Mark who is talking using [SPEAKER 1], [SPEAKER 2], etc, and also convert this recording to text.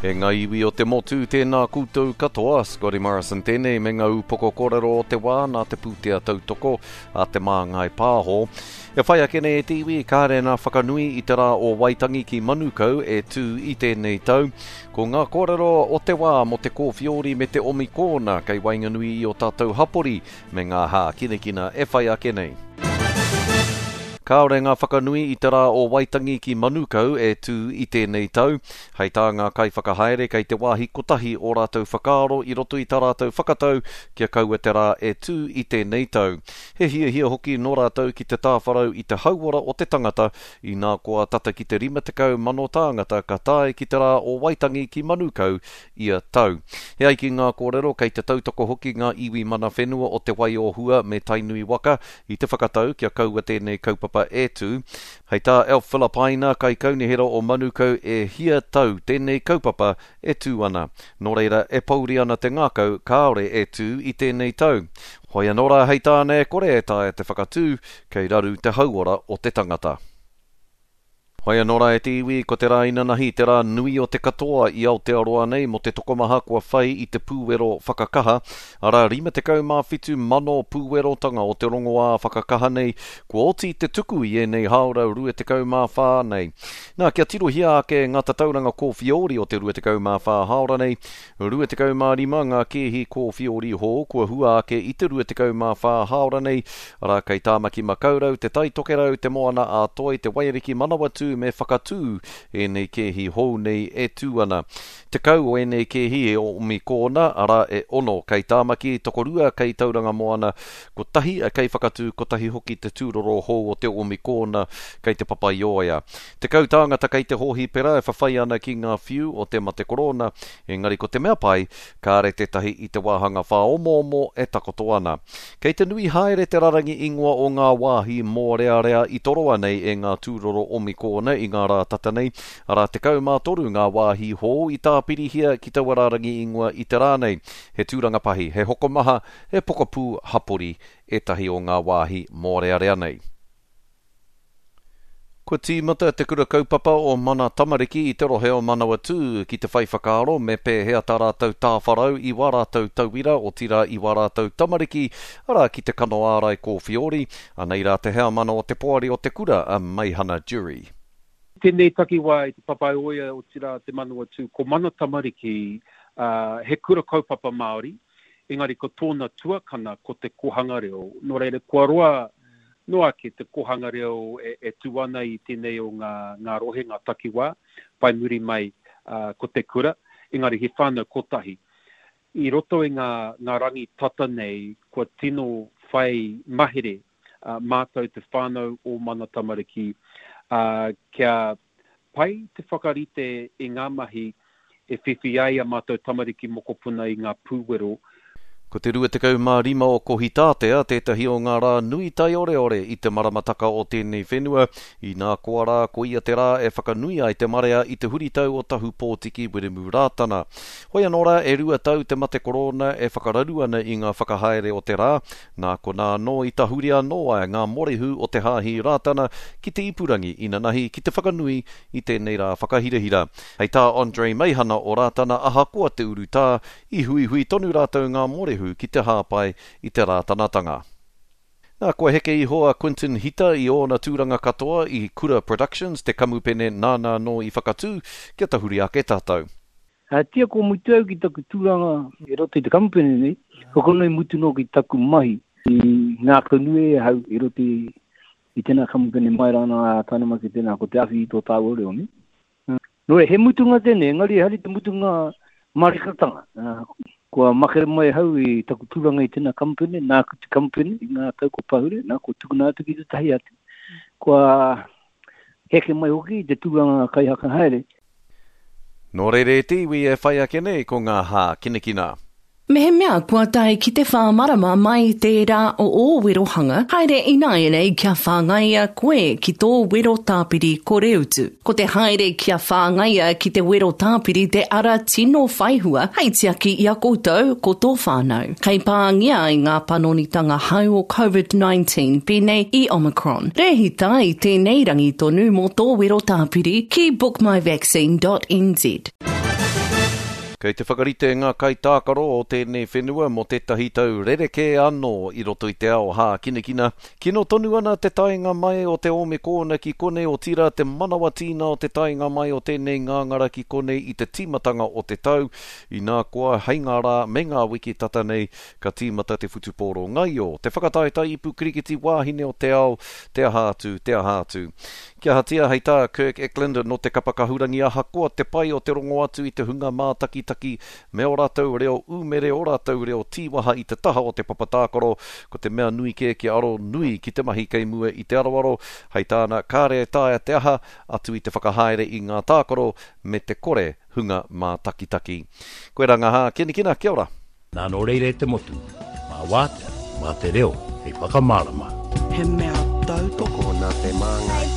[SPEAKER 1] E ngā iwi o te motu, tēnā koutou katoa, Scotty Morrison tēnei me ngā upoko kōrero o te wā nā te pūtea tautoko a Te Māngai Pāho. E whai ake nei e te iwi, kāre nā whakanui i te rā o Waitangi ki Manukau e tū i tēnei tau. Ko ngā kōrero o te wā mō te kōwhiori me te omikōna kei waenganui i ō tātou hapori me ngā hākinakina e whai ake nei. Kāore ngā whakanui i te rā o Waitangi ki Manukau e tū i tēnei tau. Hei tā ngā kaiwhakahaere kei te wāhi kotahi ō rātou whakaaro i roto i tā rātou whakatau kia kaua te rā e tū i tēnei tau. He hiahia hoki nō rātou ki te tāwharau i te hauora o te tangata, inā koa tata ki te 50,000 tāngata ka tae ki te rā o Waitangi ki Manukau ia tau. E ai ki ngā kōrero, kei te tautoko hoki ngā iwi mana whenua o Te Wai-o-Hua me Tainui waka i te whakatau kia kaua tēnei kaupapa e tū. Hei tā Alf Filipaina, kaikaunihera o Manukau, e hia tau tēnei kaupapa e tū ana. Nō reira, e pouri ana te ngākau kāore e tū i tēnei tau. Hoi anō rā hei tāna e kore e taea te whakatū, kei raru te hauora o te tangata. Whai anō rā e te iwi, ko te rā inanahi te rā nui o te katoa i Aotearoa nei mō te tokomaha kua whai i te pūwero whakakaha, arā 57 mano pūwerotanga o te rongoā whakakaha nei kua oti te tuku i ēnei hāora 24 nei. Nā, kia tirohia ake ngā tatauranga kōwhiori o te 24 hāora nei, 25 ngā kēhi kōwhiori hou kua hua ake i te 24 hāora nei, arā, kei Tāmaki Makaurau, Te Tai Tokerau, Te Moana a Toi, Te Waiariki Manawatū me Whakatū ēnei kēhi hou nei e tū ana. 10 o ēnei kēhi e Omikōna, arā, e ono kei Tāmaki, tokorua kei Tauranga Moana, kotahi kei Whakatū, kotahi hoki te tūroro hou o te Omikōna kei Te Papaioea. 10 tāngata kei te hōhipera e whawhai ana ki ngā whiu o te mate korona, engari ko te mea pai, kāre tētahi i te wāhanga whāomoomo e takoto ana. Kei te nui haere te rarangi ingoa o ngā wāhi mōrearea i toroa nei e ngā tūroro omikōna i ngā rā tata nei, arā 13 ngā wāhi hou i tāpirihia ki taua rārangi ingoa i te rā nei. He tūranga pahi, he hokomaha, he pokapū hapori ētahi o ngā wāhi mōrearea nei. Kua tīmata te kura kaupapa o Mana Tamariki i te rohe o Manawatū ki te whai whakaaro me pēhea tā rātou tāwharau i wā rātou tauira, otirā i wā rātou tamariki, arā ki te kano ārai kōwhiori. Anei rā te heamana o te poari o te kura, a Meihana Jury.
[SPEAKER 2] Tēnei takiwā i Te Papaioea, otirā te Manawatū, ko Mana Tamariki, he kura kaupapa Māori, engari ko tōna tuakana ko te kohanga reo. Nō reira, kua roa noa ake te kohanga reo e, e tū ana i tēnei o ngā, ngā rohe, ngā takiwā, whai muri mai ko te kura, engari he whānau kotahi. I roto i ngā, ngā rangi tata nei, kua tino whai mahere mātou te whānau o Mana Tamariki, kia Pai te whakarite i ngā mahi e whiwhi ai a mātou tamariki mokopuna i ngā pūwero.
[SPEAKER 1] Ko te 25 o Kohitātea tētahi o ngā rā nui taioreore i te maramataka o tēnei whenua, inā koa rā koia te rā e whakanui ai te marea i te huritau o Tahu Pōtiki Wiremu Rātana. Hoi anō rā e rua tau te mate korona e whakararu ana i ngā whakahaere o te rā, Nā konā anō i tahuri anō ai ngā morehu o te Hāhi Rātana ki te ipurangi inanahi ki te whakanui i tēnei rā whakahirahira. Hei tā Andre Meihana o Rātana ahakoa te urutā, i huihui tonu rātou ngā morehu ki te hāpai i te Rātanatanga. Nā, kua heke iho a Quinton Hita i ōna tūranga katoa i Kura Productions, te kamupene nāna anō i whakatū, kia tahuri ake tātou.
[SPEAKER 3] Tia ko mutu au ki taku tūranga i roto i te kamupene nei, ko konei mutu noa ki taku mahi i ngākaunui ai ahau i roto i tēnā kamupene mai rānā ā tae mai ki tēnā ko te awhi i tō tāua reo nei. Nō reira, he mutunga tēnei, engari ehara i te mutunga marikatanga. Kua makere mai ahau i taku tūranga i tēnā kamupene, nāku te kamupene i ngā tau kua pahure, nā, kua tukuna atu ki tētahi atu. Kua heke mai hoki i te tūranga kaihakahaere.
[SPEAKER 1] Nō reira e te iwi e whai ake nei ko ngā hākinakina.
[SPEAKER 4] Mehemea kua tae ki te whā marama mai tērā o ō werohanga, haere ināianei kia whāngaia koe ki tō wero tāpiri koreutu. Ko te haere kia whāngaia ki te wero tāpiri te ara tino whaihua hei tiaki i a koutou ko tō whānau. Kei pāngia ai ngā panonitanga hau o Covid-19 pēnei i Omicron. Rēhita i tēnei rangi tonu mō tō wero tāpiri ki bookmyvaccine.nz.
[SPEAKER 1] Kei te whakarite ngā kaitākaro o tēnei whenua mō tētahi tau rerekē anō i roto i te ao hākinakina. Kino tonu ana te taenga mai o te Ōmekōna ki konei otirā te manawa tīna o te taenga mai o tēnei ngāngara ki konei i te tīmatanga o te tau, inā koa hei ngā rā me ngā wiki tata nei ka tīmata te whutupōro ngaio, te whakataetae ipu kirikiti wāhine o te ao, te aha atu, te aha atu. Kia ahatia, hei tā Kirk Eklund nō te kapa kahurangi ahakoa te pai o te rongo atu i te hunga mātakitaki me ō rātou reo umere, ō rātou reo tīwaha i te taha o te papa tākaro, ko te mea nui kē kia aro nui ki te mahi kei mua i te aroaro, hei tāna, kāre e taea te aha atu i te whakahaere i ngā tākaro me te kore hunga mātakitaki. Koirā ngā hākinakina, kia ora!
[SPEAKER 5] Nā nō reira e te motu, mā Wātea, mā te reo hei whakamārama.
[SPEAKER 6] He mea tautoko
[SPEAKER 7] nā Te Māngai.